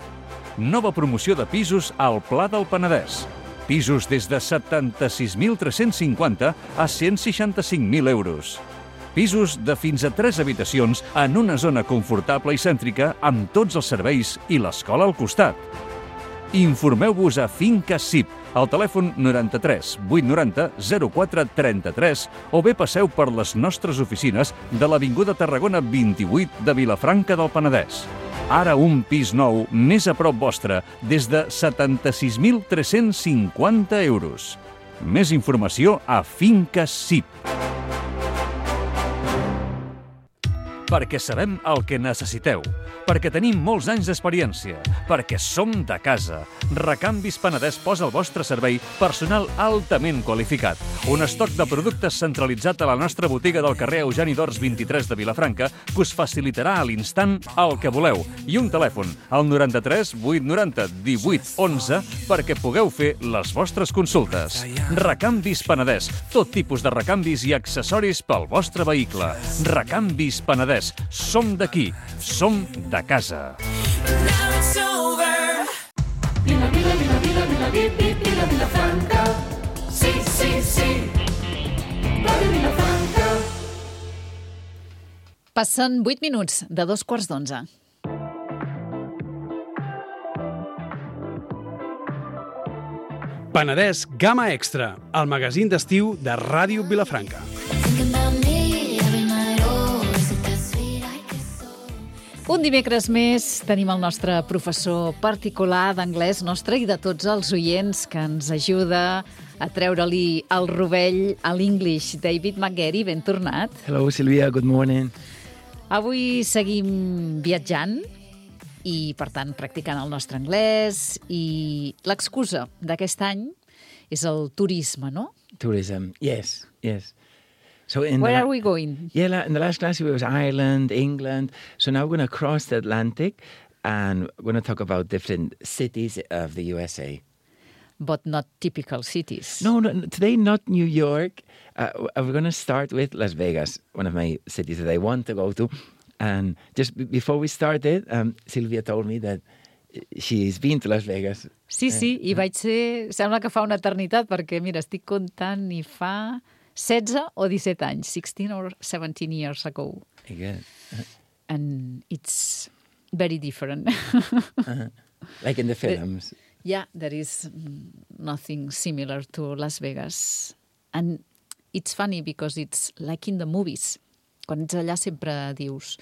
Nova promoció de pisos al Pla del Penedès. Pisos des de 76.350 a 165.000 euros. Pisos de fins a 3 habitacions en una zona confortable i cèntrica amb tots els serveis i l'escola al costat. Informeu-vos a Finca SIP, al telèfon 93 890 04 33 o bé passeu per les nostres oficines de l'Avinguda Tarragona 28 de Vilafranca del Penedès. Ara un pis nou més a prop vostre des de 76.350 euros. Més informació a Finca SIP. Perquè sabem el que necessiteu, perquè tenim molts anys d'experiència, perquè som de casa. Recanvis Penedès posa al vostre servei personal altament qualificat. Un estoc de productes centralitzat a la nostra botiga del carrer Eugeni d'Ors 23 de Vilafranca que us facilitarà a l'instant el que voleu. I un telèfon, al 93 890 18 11, perquè pugueu fer les vostres consultes. Recanvis Penedès, tot tipus de recanvis i accessoris pel vostre vehicle. Recanvis Penedès. Som d'aquí, som de casa. Vila, vila, vila, vila, vila, vila, Vilafranca. Sí, sí, sí. Ràdio Vilafranca. Passen 8 minuts de 11:15. Penedès Gamma Extra, el magazín d'estiu de Ràdio Vilafranca. Un dimecres més tenim el nostre professor particular d'anglès nostre i de tots els oients que ens ajuda a treure-li el rovell a l'English. David McGarry, ben tornat. Hello, Silvia, good morning. Avui seguim viatjant i, per tant, practicant el nostre anglès, i l'excusa d'aquest any és el turisme, no? Tourism, yes, yes. Where are we going? Yeah, in the last class, it was Ireland, England. So now we're going to cross the Atlantic and we're going to talk about different cities of the USA. But not typical cities. No, today not New York. We're going to start with Las Vegas, one of my cities that I want to go to. And just before we started, Sylvia told me that she's been to Las Vegas. Sí, i vaig ser... Sembla que fa una eternitat, perquè, mira, estic comptant i fa 16 o 17 anys, 16 or 17 years ago. Good. And it's very different. Like in the films. Yeah, there is nothing similar to Las Vegas. And it's funny because it's like in the movies. Quan ets allà sempre dius...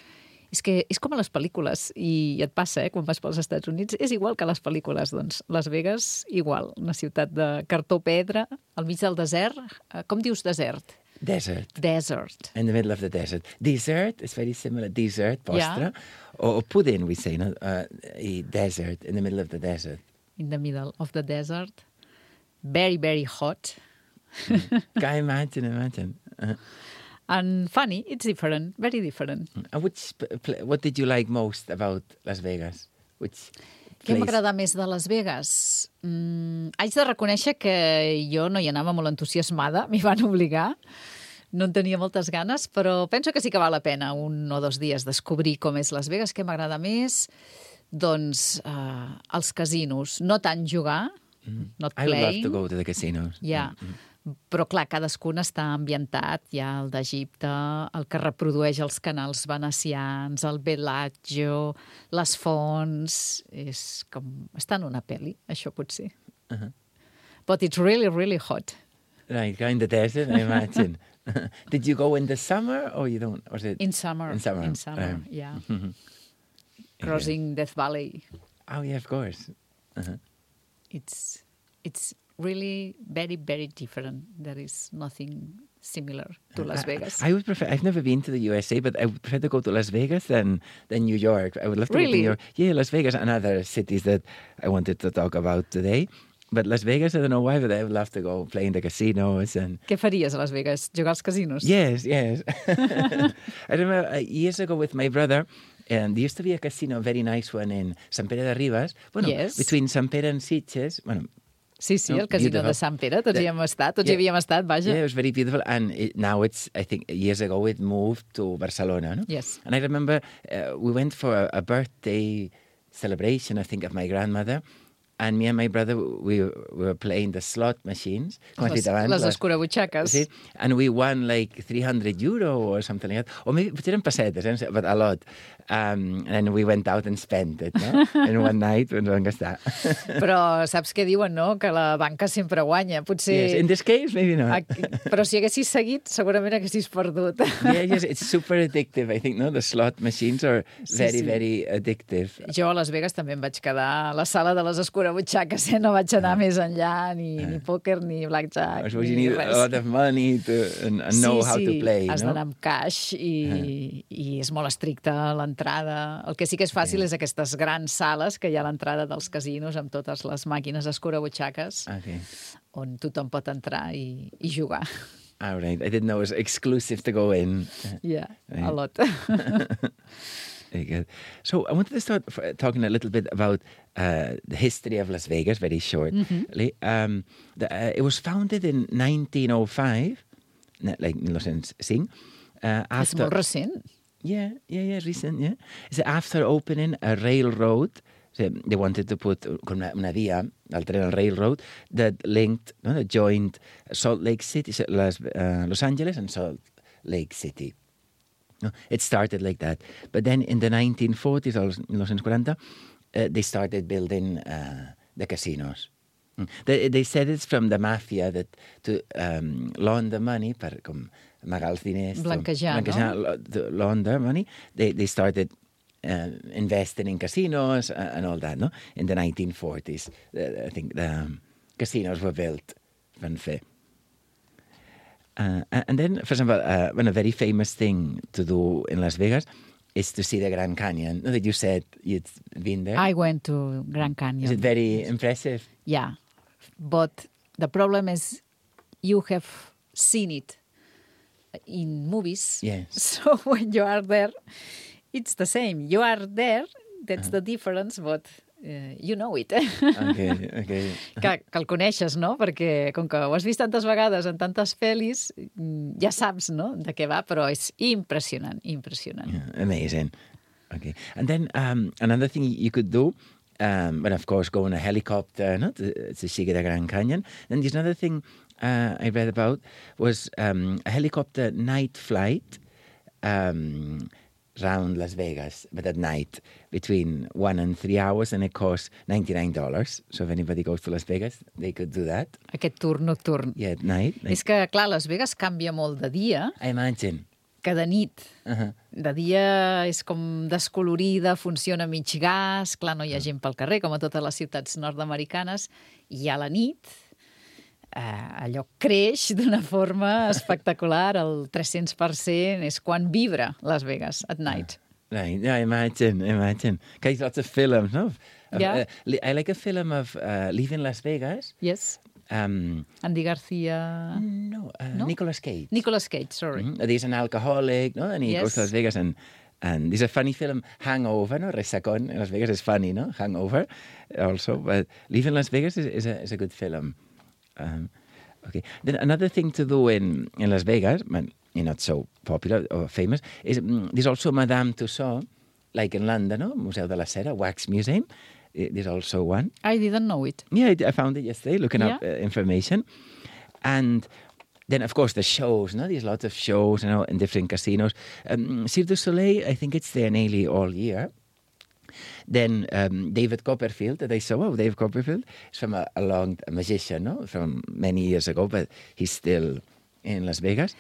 És que és com a les pel·lícules, i et passa, quan vas pels Estats Units, és igual que a les pel·lícules, doncs. Las Vegas, igual, una ciutat de cartó pedra, al mig del desert. Com dius desert? Desert. Desert. In the middle of the desert. Dessert is very similar. Dessert, postre. Yeah. Or pudding, we say, no? A desert, in the middle of the desert. In the middle of the desert. Very, very hot. Can imagine. And funny, it's different, very different. What did you like most about Las Vegas? Què m'agrada més de Las Vegas? Haig de reconèixer que jo no hi anava molt entusiasmada, m'hi van obligar. No en tenia moltes ganes, però penso que sí que val la pena 1 o 2 dies descobrir com és Las Vegas. Què m'agrada més? Doncs els casinos. No tant jugar, not playing. I would love to go to the casinos. Yeah. Però, clar, cadascun està ambientat. Hi ha el d'Egipte, el que reprodueix els canals venecians, el Bellagio, les fonts... És com... Està en una pel·li, això potser. But it's really, really hot. Right, in the desert, I imagine. Did you go in the summer or you don't? Was it in summer? In summer, yeah. Crossing Death Valley. Oh, yeah, of course. It's really very, very different. There is nothing similar to Las Vegas. I would prefer. I've never been to the USA, but I would prefer to go to Las Vegas than New York. I would love to go to New York. Yeah, Las Vegas and other cities that I wanted to talk about today. But Las Vegas, I don't know why, but I would love to go play in the casinos. And Què faries a Las Vegas? Jugar als casinos? Yes. I remember years ago with my brother, and there used to be a casino, a very nice one in Sant Pere de Ribes. Yes. Between Sant Pere and Sitges. Sí, el casino de Sant Pere, tots hi hem estat, tots hi havíem estat, vaja. Yeah, it was very beautiful, and now it's, I think, years ago it moved to Barcelona, no? Yes. And I remember we went for a birthday celebration, I think, of my grandmother, and me and my brother, we were playing the slot machines. Les escurabutxaques. Sí, and we won like €300 or something like that. Or maybe, potser eren pessetes, but a lot. And we went out and spent it, no? In one night ens vam gastar. Però saps què diuen, no? Que la banca sempre guanya. Potser... Yes, in this case, maybe not. Però si haguessis seguit, segurament haguessis perdut. Yes, it's super addictive, I think, no? The slot machines are very addictive. Jo a Las Vegas també em vaig quedar a la sala de les escurabutxaques, no vaig anar més enllà, ni pòquer, ni blackjack, ni res. You need a lot of money and know how to play, no? Has d'anar amb cash i és molt estricte l'entrada. El que sí que és fàcil és aquestes grans sales que hi ha a l'entrada dels casinos amb totes les màquines escurabutxaques on tothom pot entrar i jugar. All right. I didn't know it was exclusive to go in. Yeah, a lot. Very good. So I wanted to start talking a little bit about the history of Las Vegas, very shortly. It was founded in 1905, like 1905. És molt recent. Yeah, recent, yeah. It's after opening a railroad. So they wanted to put una via, el tren, el railroad, that linked, that joined Salt Lake City, Los Angeles and Salt Lake City. It started like that. But then in the 1940s, or 1940, they started building the casinos. They said it's from the mafia that to launder money, per com amagar els diners, blanquejar, no? To launder money. They started investing in casinos and all that, no? In the 1940s, I think the casinos were built. Van fer. And then, for example, a very famous thing to do in Las Vegas is to see the Grand Canyon. That you said you'd been there. I went to Grand Canyon. Is it very impressive? Yeah, but the problem is you have seen it in movies. Yes. So when you are there, it's the same. You are there, that's the difference, but you know it. Okay. Que el coneixes, no? Perquè com que ho has vist tantes vegades en tantes pel·lis, ja saps, no?, de què va, però és impressionant. Yeah, amazing. Okay. And then another thing you could do, but of course go in a helicopter, no, to see the Grand Canyon. Then there's another thing I read about was a helicopter night flight round Las Vegas, but at night, between 1 and 3 hours, and it costs $99. So if anybody goes to Las Vegas, they could do that. Aquest tour nocturn. Yeah, at night. És que, clar, Las Vegas canvia molt de dia I imagine. que de nit. De dia és com descolorida, funciona mig gas, clar, no hi ha gent pel carrer, com a totes les ciutats nord-americanes, i a la nit allò creix d'una forma espectacular, el 300% és quan vibra Las Vegas at night. Right, yeah, imagine. There's lots of films, no? Yeah. I like a film of Leaving Las Vegas. Yes. Andy Garcia... No, Nicolas Cage. Nicolas Cage, sorry. There's an alcoholic, no? And he goes to Las Vegas and there's a funny film, Hangover, no? Resacón in Las Vegas is funny, no? Hangover also. But Leaving Las Vegas is a good film. Okay. Then another thing to do in Las Vegas, not so popular or famous, is there's also Madame Tussauds, like in London, no? Museu de la Cera, Wax Museum. There's also one. I didn't know it. Yeah, I found it yesterday, looking up information. And then, of course, the shows, no? There's lots of shows, in different casinos. Cirque du Soleil, I think it's there nearly all year. Then David Copperfield, that I saw, David Copperfield, is from a magician, no? From many years ago, but he's still in Las Vegas.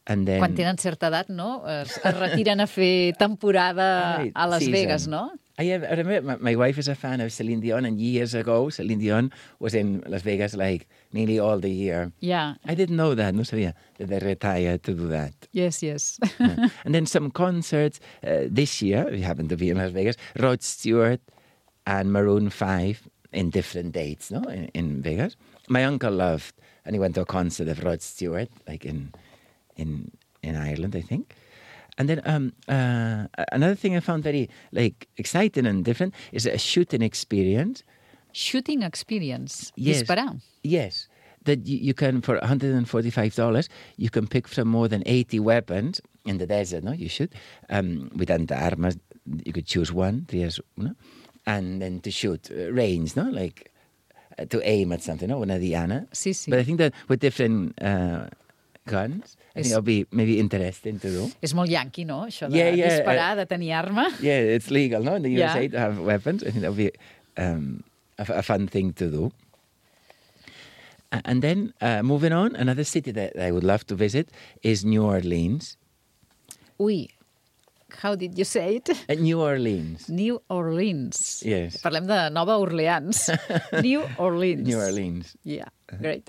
And then... Quan tenen certa edat, no? Es retiren a fer temporada a Las Vegas, no? I remember my wife is a fan of Celine Dion, and years ago, Celine Dion was in Las Vegas like nearly all the year. Yeah. I didn't know that, no sabía that they retired to do that. Yes. Yeah. And then some concerts this year, we happen to be in Las Vegas, Rod Stewart and Maroon 5 in different dates, no, in Vegas. My uncle loved, and he went to a concert of Rod Stewart, like in Ireland, I think. And then another thing I found very exciting and different is a shooting experience. Shooting experience? Yes. Disparar? Yes. That you can, for $145, you can pick from more than 80 weapons in the desert, no? You shoot. With armas, you could choose one, trias una, and then to shoot range, no? Like to aim at something, no? Una diana. Sí. But I think that with different... guns. I think it'll be maybe interesting to do. És molt yanqui, no? Això de disparar, de tenir arma. Yeah, it's legal, no? In the USA to have weapons. I think that'll be a fun thing to do. And then, moving on, another city that I would love to visit is New Orleans. Ui, how did you say it? New Orleans. New Orleans. Yes. Parlem de Nova Orleans. New Orleans. New Orleans. Yeah, great.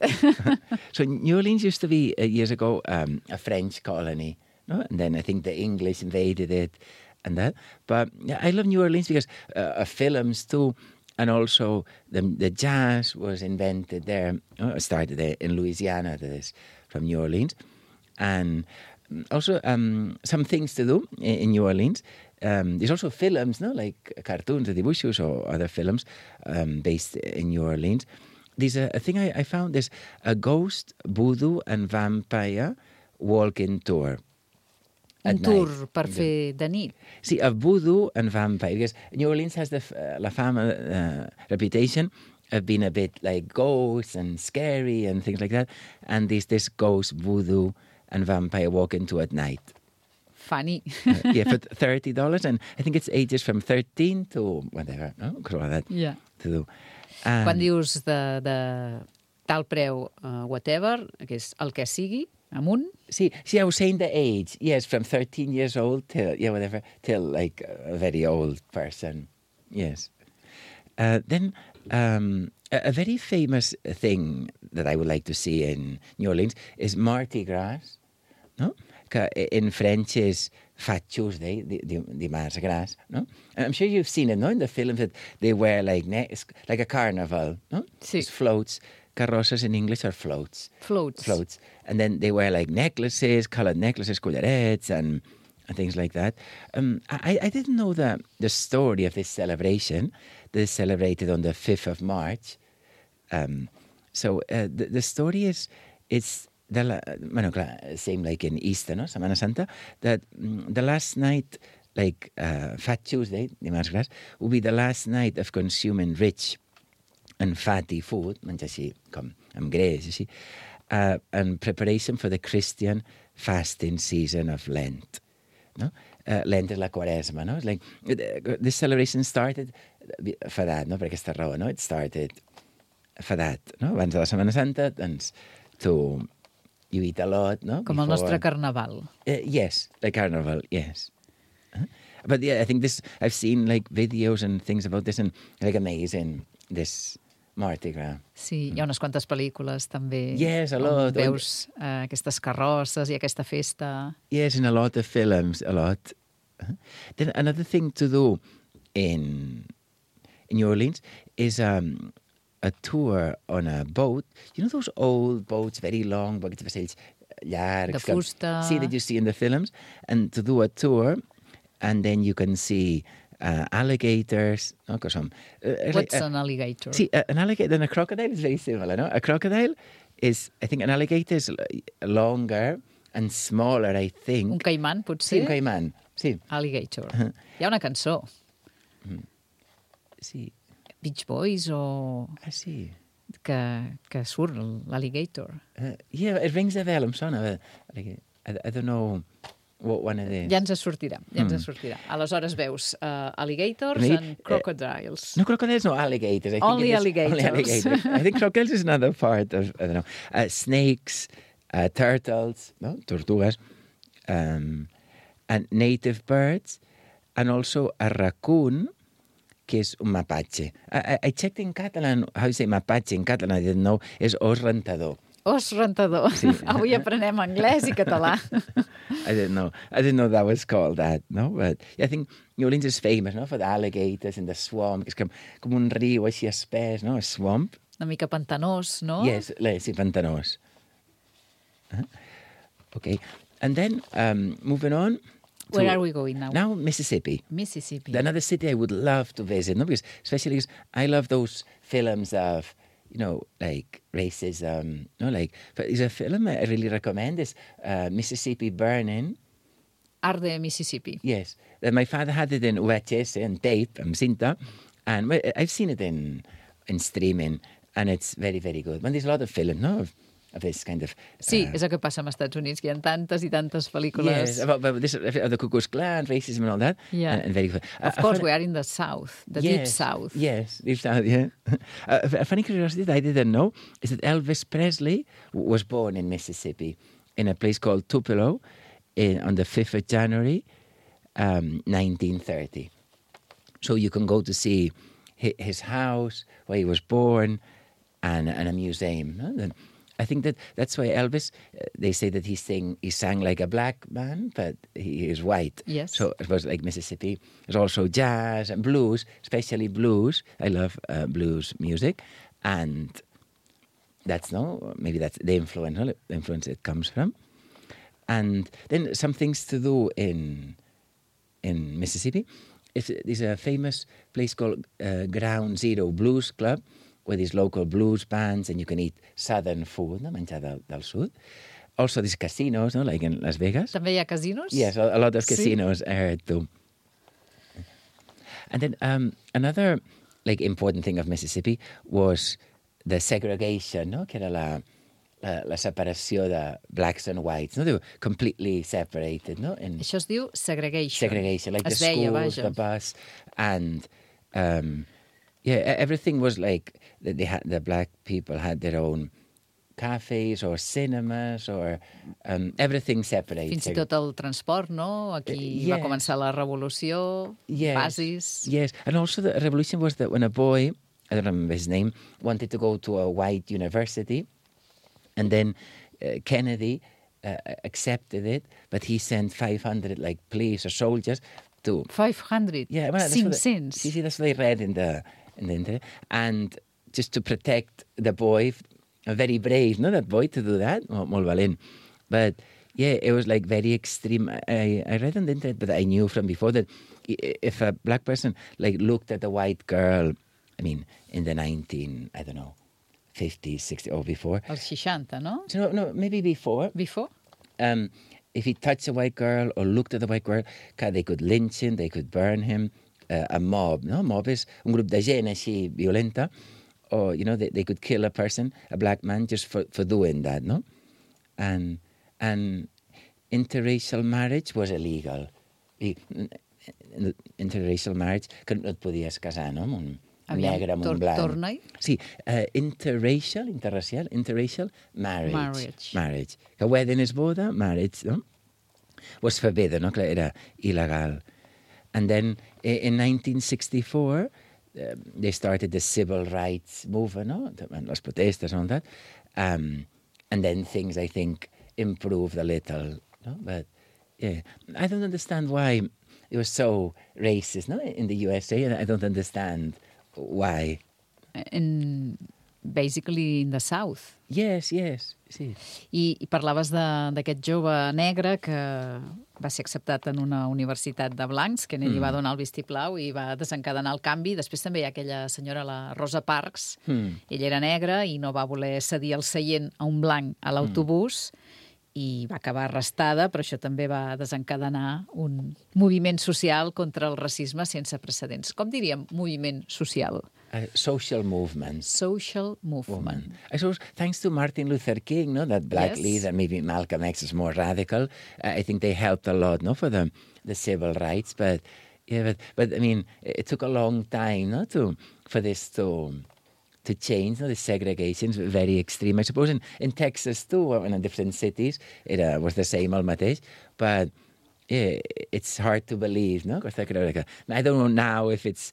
So New Orleans used to be, years ago, a French colony. No? And then I think the English invaded it and that. But yeah, I love New Orleans because of films too. And also the jazz was invented there. Started there in Louisiana, that is, from New Orleans. And also some things to do in New Orleans. There's also films, no, like cartoons, dibuixos, or other films based in New Orleans. There's a thing I found, there's a ghost, voodoo and vampire walking tour. Un tour per fer de nit. See, a voodoo and vampire, because New Orleans has the la fama reputation of being a bit like ghosts and scary and things like that. And there's this ghost, voodoo and vampire walking tour at night. Funny. Yeah, for $30, and I think it's ages from 13 to whatever, no? Yeah. To do. Quan dius de tal preu, whatever, que és el que sigui, amunt. See, I was saying the age. Yes, from 13 years old till, whatever, till like a very old person. Yes. Then a very famous thing that I would like to see in New Orleans is Mardi Gras. No? In French is Fat Tuesday, Dimarts Gras, no? And I'm sure you've seen it, no? In the films that they wear like a carnival, no? Sí. Just floats carrosses in English are floats. Floats. And then they wear like necklaces, coloured necklaces, collarets, and things like that. I didn't know the story of this celebration. That is celebrated on the 5th of March. So the story is, it's same like in Easter, no? Setmana Santa, that the last night, like Fat Tuesday, dimarts gras, will be the last night of consuming rich and fatty food, menjar així com amb greix, així, in preparation for the Christian fasting season of Lent. No? Lent és la Quaresma, no? It's like, this celebration started for that, no? Per aquesta raó, no? It started for that, no? Abans de la Setmana Santa, doncs, you eat a lot, no? Com el nostre carnaval. Yes, like carnival, yes. But yeah, I think I've seen like videos and things about this and like amazing, this Mardi Gras. Sí, hi ha unes quantes pel·lícules també. Yes, a lot. Veus aquestes carrosses i aquesta festa. Yes, in a lot of films, a lot. Then another thing to do in New Orleans is a tour on a boat. You know those old boats, very long, boats vaixells llargs. De fusta. See, that you see in the films. And to do a tour, and then you can see alligators. No? What's an alligator? See, an alligator and a crocodile is very similar, no? A crocodile is, I think, an alligator is longer and smaller, I think. Un caimán, potser? Sí, un caimán, sí. Alligator. Hi ha una cançó. Sí. Beach Boys o... sí. Que surt l'alligator. Yeah, it rings a bell, em sona. I don't know what one it is. Ja ens sortirà. Aleshores veus alligators and crocodiles. No, crocodiles, no, alligators. Only alligators. I think crocodiles is another part of, I don't know, snakes, turtles, no? Tortugas, and native birds, and also a raccoon, que és un mapache. I checked in Catalan how you say mapache in Catalan. I didn't know. És os rentador. Os rentador. Sí. Avui aprenem anglès i català. I didn't know that was called that, no? But I think New Orleans is famous, no? For the alligators and the swamp. És com un riu així espès, no? A swamp. Una mica pantanós, no? Yes, sí, pantanós. Okay. And then, moving on. Where are we going now? Now, Mississippi. Mississippi. Another city I would love to visit, no? Especially because I love those films of, you know, like racism, no? Like, but there's a film I really recommend is Mississippi Burning. Arde, Mississippi. Yes. My father had it in VHS and tape, cinta, and I've seen it in streaming, and it's very, very good. And there's a lot of films, no? Of this kind of... Sí, és el que passa als Estats Units, que hi ha tantes i tantes pel·lícules. Yes, about this, the Ku Klux Klan, racism and all that. Yeah. And very good. Of course, we are in the South, the Deep South. Yes, Deep South, yeah. A funny curiosity that I didn't know is that Elvis Presley was born in Mississippi, in a place called Tupelo, on the 5th of January, 1930. So you can go to see his house, where he was born, and a museum. No? I think that's why Elvis, they say that he sang like a black man, but he is white. Yes. So it was like Mississippi. There's also jazz and blues, especially blues. I love blues music. And maybe that's the influence it comes from. And then some things to do in Mississippi. There's a famous place called Ground Zero Blues Club, with these local blues bands, and you can eat southern food, no? Menjar del sud. Also, these casinos, no? Like in Las Vegas. També hi ha casinos? Yes, a lot of casinos, I heard too. And then another like important thing of Mississippi was the segregation, no? Que era la separació de blacks and whites, no? They were completely separated, no? Això es diu segregation. Segregation, like es the schools, the bus, and everything was like the black people had their own cafes or cinemas or everything separated. Fins i tot el transport, no? Aquí va començar la revolució, basis. Yes, and also the revolution was that when a boy, I don't remember his name, wanted to go to a white university, and then Kennedy accepted it, but he sent 500 like police or soldiers to... 500? Yeah, well, 500? See, that's what I read in the internet. And just to protect the boy very brave, no, that boy, to do that. Molt valent. But yeah, it was like very extreme. I read on the internet, but I knew from before that if a black person like looked at a white girl, I mean, in the 50s, 60s, or before. Els 60, no? No, maybe before. Before? If he touched a white girl or looked at a white girl, they could lynch him, they could burn him. A mob, no? Mob is un grup de gent així violenta, or, you know, they could kill a person, a black man, just for doing that, no? And interracial marriage was illegal. Interracial marriage, que no et podies casar, no? Amb un negre, amb un blanc. Torna-hi. Sí, interracial marriage. Que wedding és boda, marriage, no? Was forbidden, no? Que era il·legal. And then in 1964, they started the civil rights movement, no? Las protestas and all that. And then things, I think, improved a little, no? But yeah, I don't understand why it was so racist, no? In the USA, and I don't understand why. Basically in the South. Yes, sí. I parlaves d'aquest jove negre que va ser acceptat en una universitat de blancs, que ell va donar el vistiplau i va desencadenar el canvi. Després també hi ha aquella senyora, la Rosa Parks. Ella era negra i no va voler cedir el seient a un blanc a l'autobús i va acabar arrestada, però això també va desencadenar un moviment social contra el racisme sense precedents. Com diríem moviment social? Social movement. Social movement. I suppose thanks to Martin Luther King, no, that black Yes. leader, maybe Malcolm X is more radical. I think they helped a lot, no, for the civil rights. But yeah, but I mean, it took a long time, no, for this to change, no, the segregation is very extreme. I suppose in Texas too, and in different cities, it was the same al mateix. But yeah, it's hard to believe, no? I don't know now if it's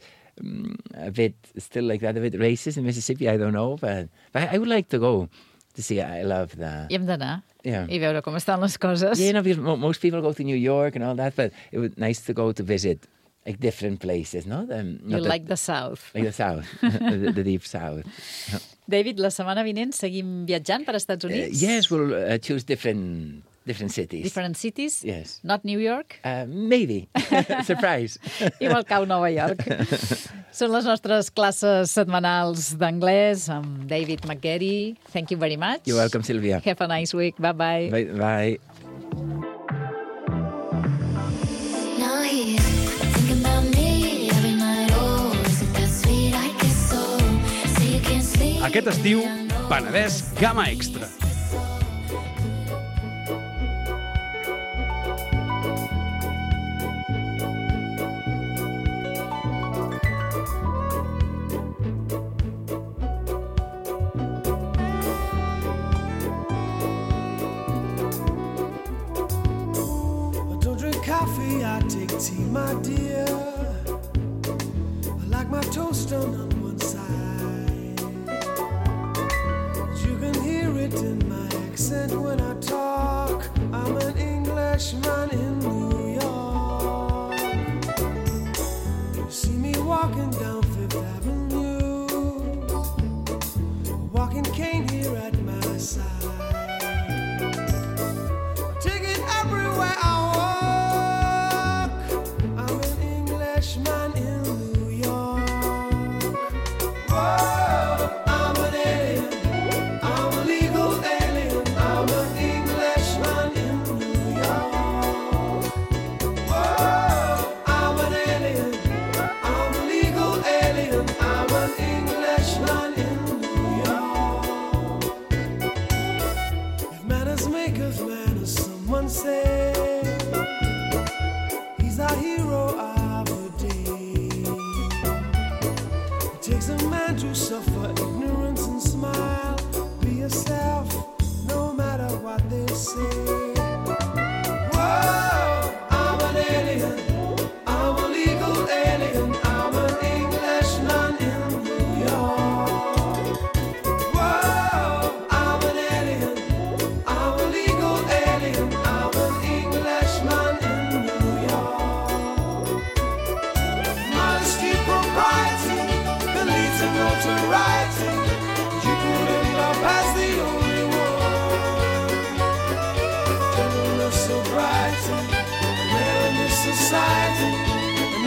a bit still like that, a bit racist in Mississippi. I don't know, but I would like to go to see. I love the. Hi hem d'anar Yeah. i veure com estan les coses. Yeah, because most people go to New York and all that, but it was nice to go to visit like different places, no? You like the South. Like the South, the deep South. David, la setmana vinent seguim viatjant per Estats Units? Yes, we'll choose different cities. Different cities? Yes. Not New York? Maybe. Surprise. Igual cau Nova York. Són les nostres classes setmanals d'anglès amb David McGarry. Thank you very much. You're welcome, Sylvia. Have a nice week. Bye-bye. Bye. Now he's thinking about me every night. Oh, is it that sweet? I guess so. Say you can't sleep. Aquest estiu, Penedès Gamma Extra. I take tea, my dear. I like my toast on one side. You can hear it in my accent when I talk. I'm an Englishman in New York. You see me walking down Fifth Avenue, a walking cane here at my side. Take it everywhere I man in New York. Whoa, I'm an alien. I'm a legal alien. I'm an Englishman in New York.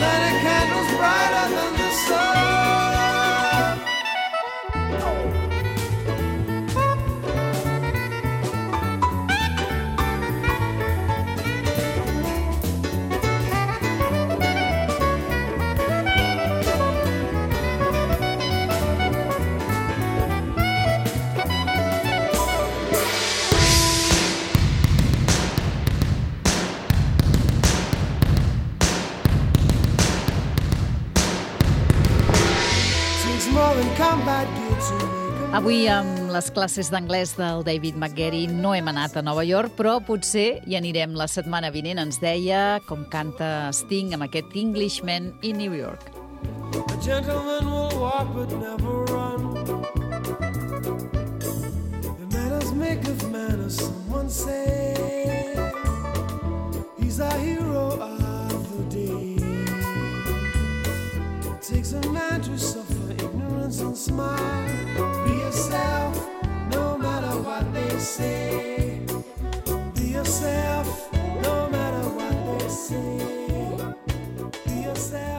light a candles brighter than the sun. Avui, amb les classes d'anglès del David McGarry, no hem anat a Nova York, però potser hi anirem la setmana vinent. Ens deia com canta Sting amb aquest Englishman in New York. A gentleman will walk but never run. The manners make of manners, someone say. He's a hero of the day. It takes a man to suffer ignorance and smile. Be yourself, no matter what they say. Be yourself, no matter what they say. Be yourself.